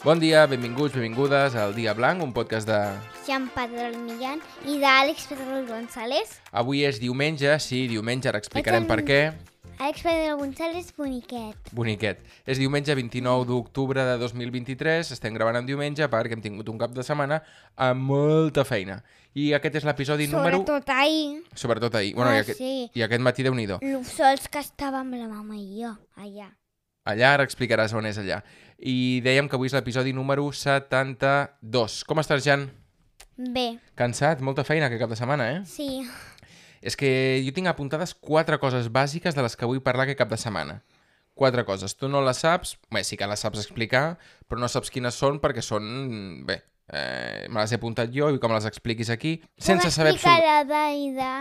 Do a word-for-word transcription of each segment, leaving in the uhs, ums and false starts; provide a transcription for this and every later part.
Bon dia, benvinguts, benvingudes al Dia Blanc, un podcast de... Jean Pedrol Millán i d'Àlex Pedrol González. Avui és diumenge, sí, diumenge, ara explicarem per què. Àlex Pedrol González, boniquet. Boniquet. És diumenge vint-i-nou d'octubre de dos mil vint-i-tres, estem gravant en diumenge perquè hem tingut un cap de setmana amb molta feina. I aquest és l'episodi número... Sobretot ahir. Sobretot ahir. Bueno, Ah, i, aquest... sí. I aquest matí, Déu-n'hi-do. Lo sols que estàvem la mama i jo, allà. Allà, ara explicaràs on és allà. I dèiem que avui és l'episodi número setanta-dos. Com estàs, Jan? Bé, Cansat? Molta feina aquest cap de setmana, eh? sí. És que jo tinc apuntades quatre coses bàsiques de les que vull parlar aquest cap de setmana. Quatre coses. Tu no les saps, bé, sí que les saps explicar, però no saps quines són perquè són... Bé, eh, me les he apuntat jo i com les expliquis aquí, sense saber... Puc explicar la d'Aida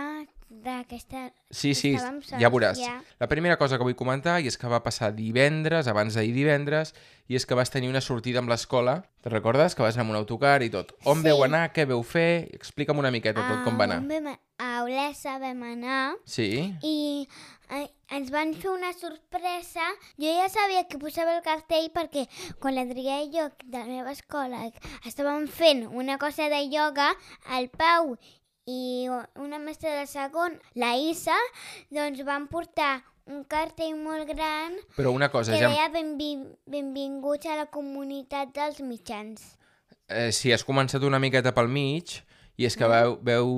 d'aquesta... Sí, sí, Estàvem sols, ja veuràs. ja. La primera cosa que vull comentar i és que va passar divendres, abans d'ahir divendres, i és que vas tenir una sortida amb l'escola. Te'n recordes? Que vas anar amb un autocar i tot. On Sí. veu anar? Què veu fer? Explica'm una miqueta tot com va anar. A, on vam, a Olesa vam anar Sí? i eh, ens van fer una sorpresa. Jo ja sabia que posava el cartell perquè quan l'Adrià i jo de la meva escola estàvem fent una cosa de ioga, el Pau i una mestra de segon, la Isa, doncs van portar un cartell molt gran Però una cosa, que ja... deia benvi benvinguts a la comunitat dels mitjans. Eh, sí, has començat una miqueta pel mig i és que veu, veu...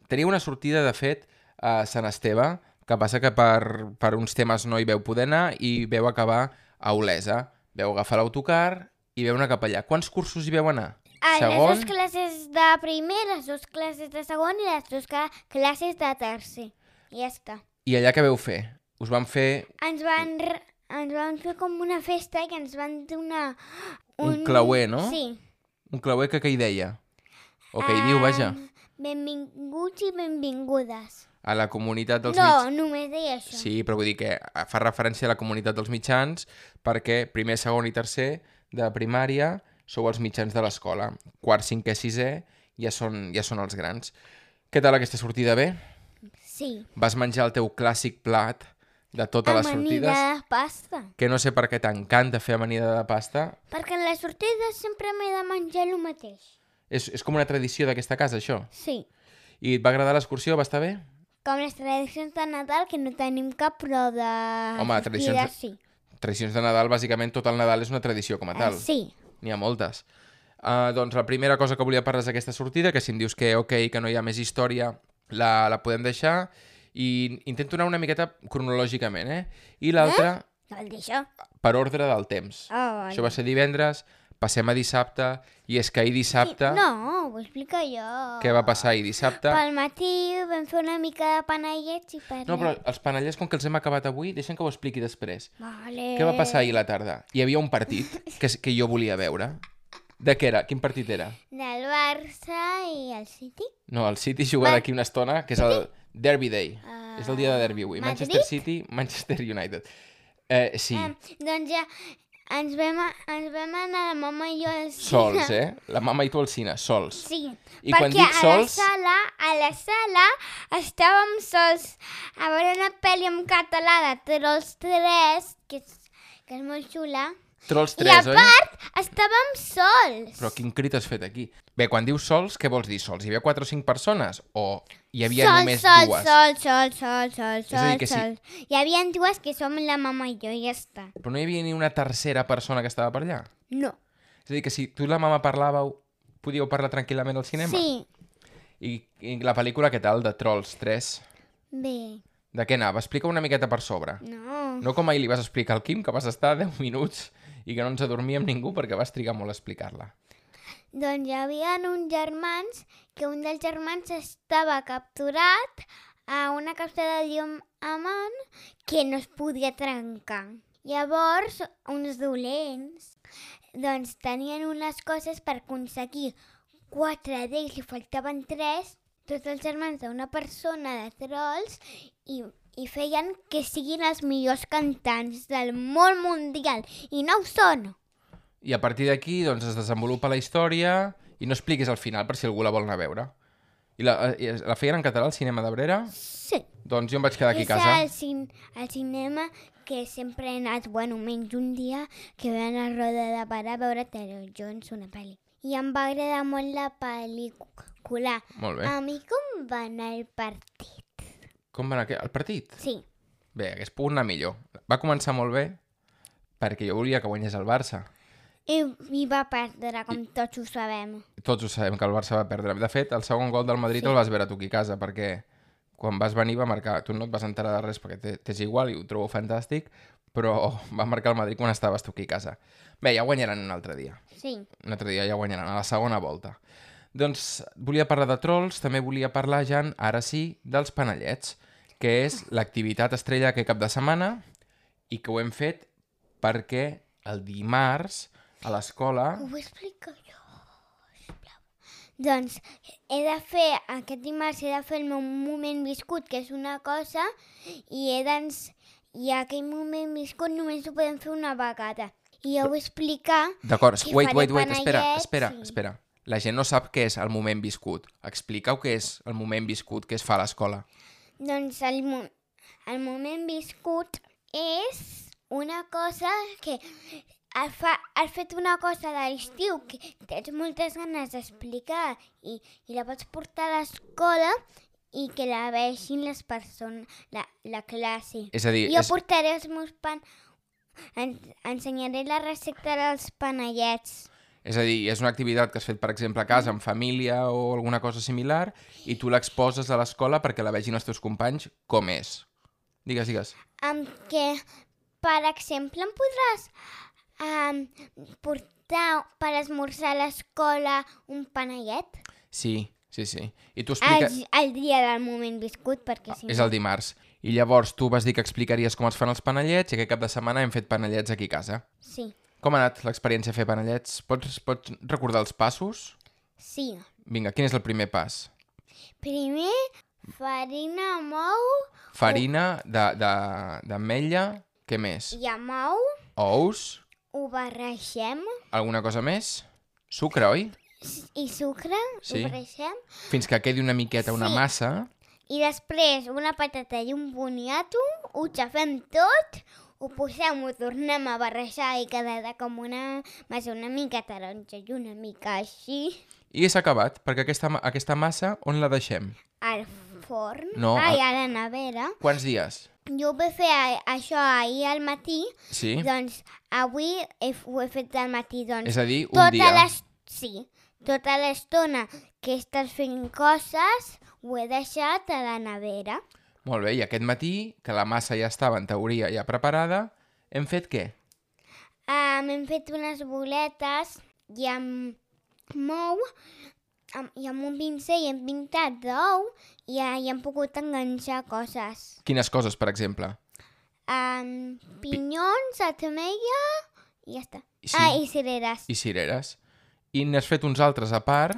Tenia una sortida, de fet, a Sant Esteve, que passa que per, per uns temes no hi veu poder anar i veu acabar a Olesa. Veu agafar l'autocar i veu anar cap allà. Quants cursos hi veu anar? Ah, Segon? les dues classes de primer, les dues classes de segon i les dues classes de tercer. I ja està. I allà què veu fer? Us van fer Ens van, re- ens van fer com una festa i ens van donar un clauer, no? Sí. Un clauer que què hi deia? O què hi diu, vaja? Ah, benvinguts i benvingudes. A la comunitat dels No, mitjans. només deia això. Sí, però vull dir que fa referència a la comunitat dels mitjans perquè primer, segon i tercer de primària sou els mitjans de l'escola. Quart, cinquè, sisè ja són, ja són els grans. Què tal aquesta sortida? Bé? Sí. Vas menjar el teu clàssic plat de totes les Amanida sortides? de pasta. Que no sé per què t'encanta fer amanida de pasta. Perquè en les sortides sempre m'he de menjar el mateix. És, és com una tradició d'aquesta casa, això. Sí. I et va agradar l'excursió? Va estar bé? Com les tradicions de Nadal, que no tenim cap, però de Home, tradicions de- sortides sí. Tradicions de Nadal, bàsicament tot el Nadal és una tradició com a tal. Eh, sí. N'hi ha moltes. Uh, doncs la primera cosa que volia parlar és aquesta sortida, que si em dius que ok, que no hi ha més història, la, la podem deixar. I intento anar una miqueta cronològicament, eh? I l'altra, No vol dir això. per ordre del temps. Oh, Això va ser divendres, passem a dissabte, i és que ahir dissabte... No, ho explico jo. Què va passar ahir dissabte? Pel matí vam fer una mica de panellets i per... No, però els panellets, com que els hem acabat avui, deixem que ho expliqui després. Vale. Què va passar ahir a la tarda? Hi havia un partit que, que jo volia veure. De què era? Quin partit era? Del Barça i el City. No, el City juga Va- d'aquí una estona, que és el Derby Day. Ah, És el dia de Derby avui. Madrid? Manchester City, Manchester United. Eh, sí, Eh, doncs ja ens vam, a- ens vam anar la mama i jo al cine. sols, eh? La mama i tu al cine, sols. Sí, I perquè quan dic a sols- la sala, a la sala estàvem sols a veure una pel·li en català de Trolls tres, que és, que és molt xula. Trolls I tres, a oi? part, estàvem sols. Però quin crit has fet aquí? Bé, quan dius sols, què vols dir sols? Hi havia quatre o cinc persones? O hi havia sols, només sols, dues? sols, sols, sols, sols, És a dir, que sols, sí. sols. Hi havia dues que som la mama i jo, i ja està. Però no hi havia ni una tercera persona que estava per allà? No. És a dir, que si tu i la mama parlàveu, podíeu parlar tranquil·lament al cinema? Sí, I, I la pel·lícula, què tal, de Trolls tres? bé, De què anava? Explica una miqueta per sobre. no. No com ahir li vas explicar al Quim, que vas estar deu minuts i que no ens adormíem ningú perquè vas trigar molt a explicar-la. Doncs hi havia uns germans que un dels germans estava capturat a una capsa de diamant que no es podia trencar. Llavors, uns dolents doncs tenien unes coses per aconseguir quatre d'ells, li faltaven tres, tots els germans d'una persona de trolls i, i feien que siguin els millors cantants del món mundial. I no ho són. I a partir d'aquí doncs, es desenvolupa la història i no expliquis al final per si algú la vol anar a veure. I la, i la feien en català al cinema d'Abrera? Sí. Doncs jo em vaig quedar aquí a És casa. el, cin el cinema que sempre he anat, bueno, menys un dia, que vam a Roda de Barà a veure Taylor Jones, una pel·li. I em va agradar molt la pel·lícula. Molt bé. A mi com va anar el partit? Com va anar el partit? Sí. Bé, hagués pogut anar millor. Va començar molt bé perquè jo volia que guanyés el Barça. I, i va perdre, com I... tots ho sabem. Tots ho sabem, que el Barça va perdre. De fet, el segon gol del Madrid sí. el vas veure tu aquí a casa, perquè quan vas venir va marcar... Tu no et vas enterar de res perquè t'és igual i ho trobo fantàstic, però va marcar el Madrid quan estaves tu aquí a casa. Bé, ja guanyaran un altre dia. Sí. Un altre dia ja guanyaran, a la segona volta. Doncs volia parlar de trolls, també volia parlar, Jan, ara sí, dels panellets, que és l'activitat estrella aquest cap de setmana i que ho hem fet perquè el dimarts a l'escola... Ho explico jo, sisplau. Doncs he de fer, aquest dimarts he de fer el meu moment viscut, que és una cosa, i he d'ens... I aquell moment viscut només ho podem fer una vegada. I heu explicar... D'acord, que wait, faré wait, wait, espera, panellets espera, i- espera. La gent no sap què és el moment viscut. Expliqueu què és el moment viscut que es fa a l'escola. Doncs el, mo el moment viscut és una cosa que has, fa has fet una cosa de l'estiu que tens moltes ganes d'explicar i, i la pots portar a l'escola i que la vegin les persones, la, la classe. És a dir, Jo és... portaré els meus pan... En ensenyaré la recepta dels panellets. És a dir, és una activitat que has fet, per exemple, a casa, amb família o alguna cosa similar, i tu l'exposes a l'escola perquè la vegin els teus companys com és. Digues, digues. Amb que, per exemple, em podràs um, portar per esmorzar a l'escola un panellet? Sí, sí, sí. I tu El, expliques... el dia del moment viscut, perquè si És no... el dimarts. I llavors tu vas dir que explicaries com es fan els panellets i aquest cap de setmana hem fet panellets aquí a casa. Sí, Com ha anat l'experiència a fer panellets? Pots, pots recordar els passos? sí. Vinga, quin és el primer pas? Primer, farina, mou Farina de- de- d'ametlla, què més? i amb ou, Ous? ho barregem, Alguna cosa més? Sucre, oi? i sucre, Sí. ho barregem, Fins que quedi una miqueta, una Sí. massa. i després una patata i un boniato, ho xafem tot, ho posem, ho tornem a barrejar i quedarà com una massa una mica taronja i una mica així I s'ha acabat, perquè aquesta, ma- aquesta massa on la deixem? al forn. No, Ai, al- a la nevera. Quants dies? Jo ho vaig fer a, això ahir al matí, Sí? doncs avui he, ho he fet al matí. Doncs, És a dir, un tota dia. l'es- Sí, tota l'estona que estàs fent coses ho he deixat a la nevera. Molt bé, i aquest matí, que la massa ja estava en teoria ja preparada, hem fet què? Um, hem fet unes boletes i amb mou amb, i amb un pincell hem pintat d'ou i, uh, i hem pogut enganxar coses. Quines coses, per exemple? Um, pinyons, ametlla i ja està. Sí. Ah, i cireres I cireres. I n'has fet uns altres a part?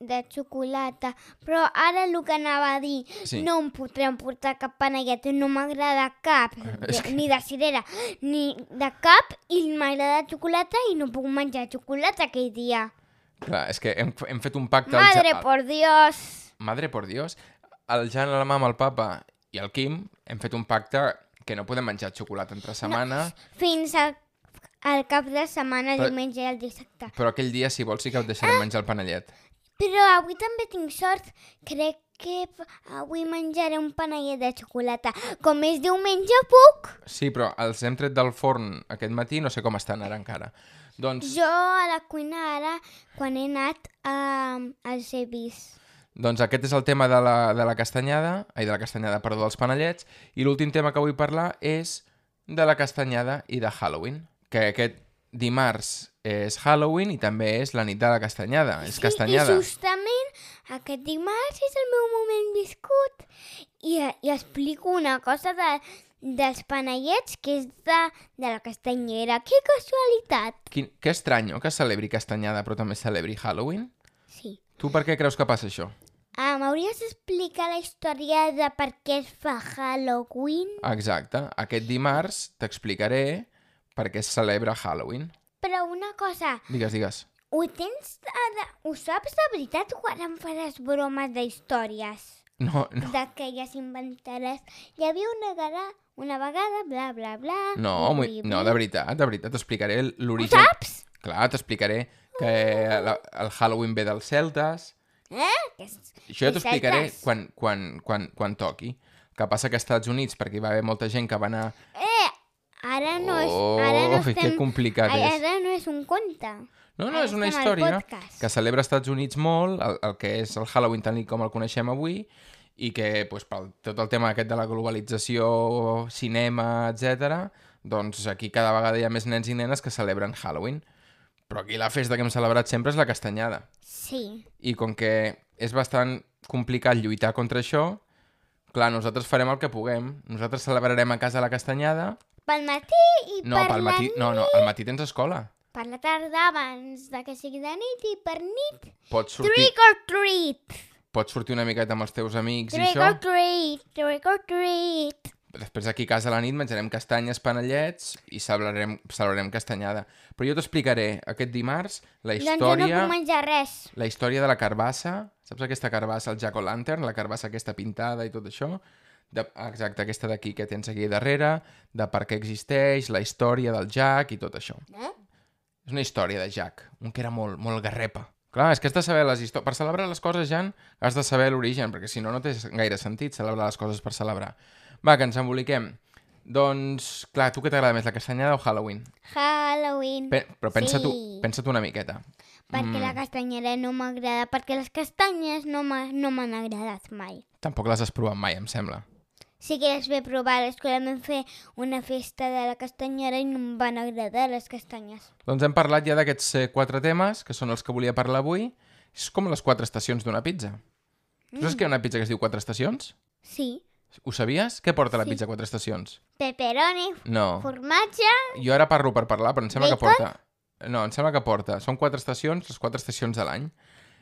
de xocolata. Però ara el que anava a dir, Sí. no em podrem portar cap panellet, no m'agrada cap, És de, que- ni de cirera, ni de cap, i m'agrada xocolata i no puc menjar xocolata aquell dia. Clar, és que hem, hem fet un pacte... al Madre Ja- por Dios! Madre por Dios. El Jan, la mama, el papa i el Quim hem fet un pacte que no podem menjar xocolata entre setmana, Fins al, al cap de setmana, el Però- diumenge i el dissabte. però aquell dia, si vols, sí que et deixarem menjar el panellet. Però avui també tinc sort. Crec que p- avui menjaré un panellet de xocolata. Com és diumenge, puc? Sí, però els hem tret del forn aquest matí, no sé com estan ara encara. Doncs, Jo a la cuina ara, quan he anat a, als he vist. doncs aquest és el tema de la, de la castanyada, ai, de la castanyada, perdó, dels panellets, i l'últim tema que vull parlar és de la castanyada i de Halloween, que aquest dimarts és Halloween i també és la nit de la castanyada, és castanyada. I justament aquest dimarts és el meu moment viscut. I, i explico una cosa de, dels panellets que és de, de la castanyera. Que casualitat! Quin, que estranyo que es celebri castanyada però també es celebri Halloween. Sí. Tu per què creus que passa això? Ah, m'hauries d'explicar la història de per què es fa Halloween? Exacte, aquest dimarts t'explicaré per què es celebra Halloween. Però una cosa, Digues, digues. ho tens... De... Ho saps de veritat o ara em faràs bromes d'històries? No, no. D'aquelles inventaràs. Hi havia una, gara, una vegada, bla, bla, bla... No, bli, bli, no, bli. de veritat, de veritat, t'explicaré l'origen... Ho saps? Clar, t'explicaré que la, el Halloween ve dels celtes. Eh? Que és... Això ja t'ho explicaré celtes. quan, quan, quan, quan toqui. Que passa que als Estats Units, perquè hi va haver molta gent que va anar... Eh! Ara no és... Ara no Oh, estem... que complicat Ai, és. Ara no és un conte. No, no, Ara és una estem al història podcast. que celebra als Estats Units molt, el, el que és el Halloween tal com el coneixem avui, i que pues, pel tot el tema aquest de la globalització, cinema, etcètera, doncs aquí cada vegada hi ha més nens i nenes que celebren Halloween. Però aquí la festa que hem celebrat sempre és la castanyada. Sí. I com que és bastant complicat lluitar contra això, clar, nosaltres farem el que puguem. Nosaltres celebrarem a casa la castanyada. Pel matí i No, per pel la matí, nit. no, no, al matí tens escola. Per la tarda abans de que sigui de nit i per nit. Pots sortir, Trick or treat! pots sortir una miqueta amb els teus amics i Trick això. or treat! Trick or treat! Després aquí a casa a la nit menjarem castanyes, panellets i celebrarem, celebrarem castanyada. Però jo t'explicaré aquest dimarts la Doncs jo no història, puc menjar res. la història de la carbassa. Saps aquesta carbassa, el jack-o'-lantern, la carbassa aquesta pintada i tot això? De, exacte, aquesta d'aquí que tens aquí darrere, de per què existeix, la història del Jack i tot això. Eh? És una història de Jack, un que era molt, molt garrepa. Clar, és que has de saber les històries... Per celebrar les coses, Jan, has de saber l'origen, perquè si no, no té gaire sentit celebrar les coses per celebrar. Va, que ens emboliquem. Doncs, clar, tu què t'agrada més, la castanyada o Halloween? Halloween. Pe però pensa sí. tu, pensa tu una miqueta. Perquè Mm. la castanyera no m'agrada, perquè les castanyes no m'ha- no m'han agradat mai. Tampoc les has provat mai, em sembla. Sí que les vaig provar, a l'escola vam fer una festa de la castanyera i no em van agradar les castanyes. Doncs hem parlat ja d'aquests eh, quatre temes, que són els que volia parlar avui. És com les quatre estacions d'una pizza. Mm. Tu saps que hi ha una pizza que es diu quatre estacions? Sí. Ho sabies? Què porta la Sí. pizza quatre estacions? Pepperoni, No. formatge... Jo ara parlo per parlar, però em sembla que Bacon? porta... No, em sembla que porta... Són quatre estacions, les quatre estacions de l'any.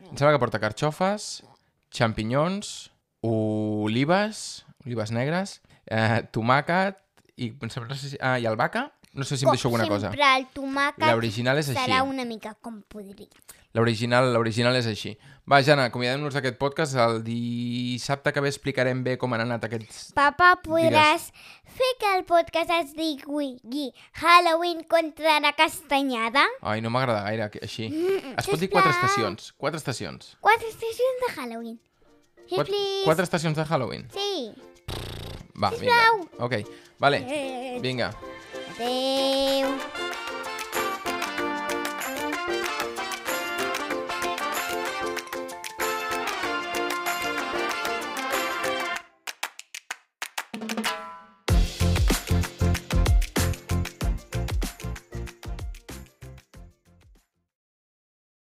Em sembla que porta carxofes, xampinyons, olives, olives negres, eh, tomàquet i... em sembla- No sé si, ah, i albahaca? No sé si em deixo alguna cosa. Sempre el tomàquet L'original és així. serà una mica com podrit. L'original l'original és així. Va, Jana, acomiadem-nos d'aquest podcast. El dissabte que ve explicarem bé com han anat aquests... Papa, podràs fer que el podcast es digui Halloween contra la castanyada? Ai, no m'agrada gaire que- així. Mm, Es pot dir sisplau. quatre estacions. Quatre estacions. Quatre estacions de Halloween. Sí, Quatre, please. quatre estacions de Halloween. Sí. Va, vinga. Sisplau. Ok, vale. Eh, Vinga. Adéu.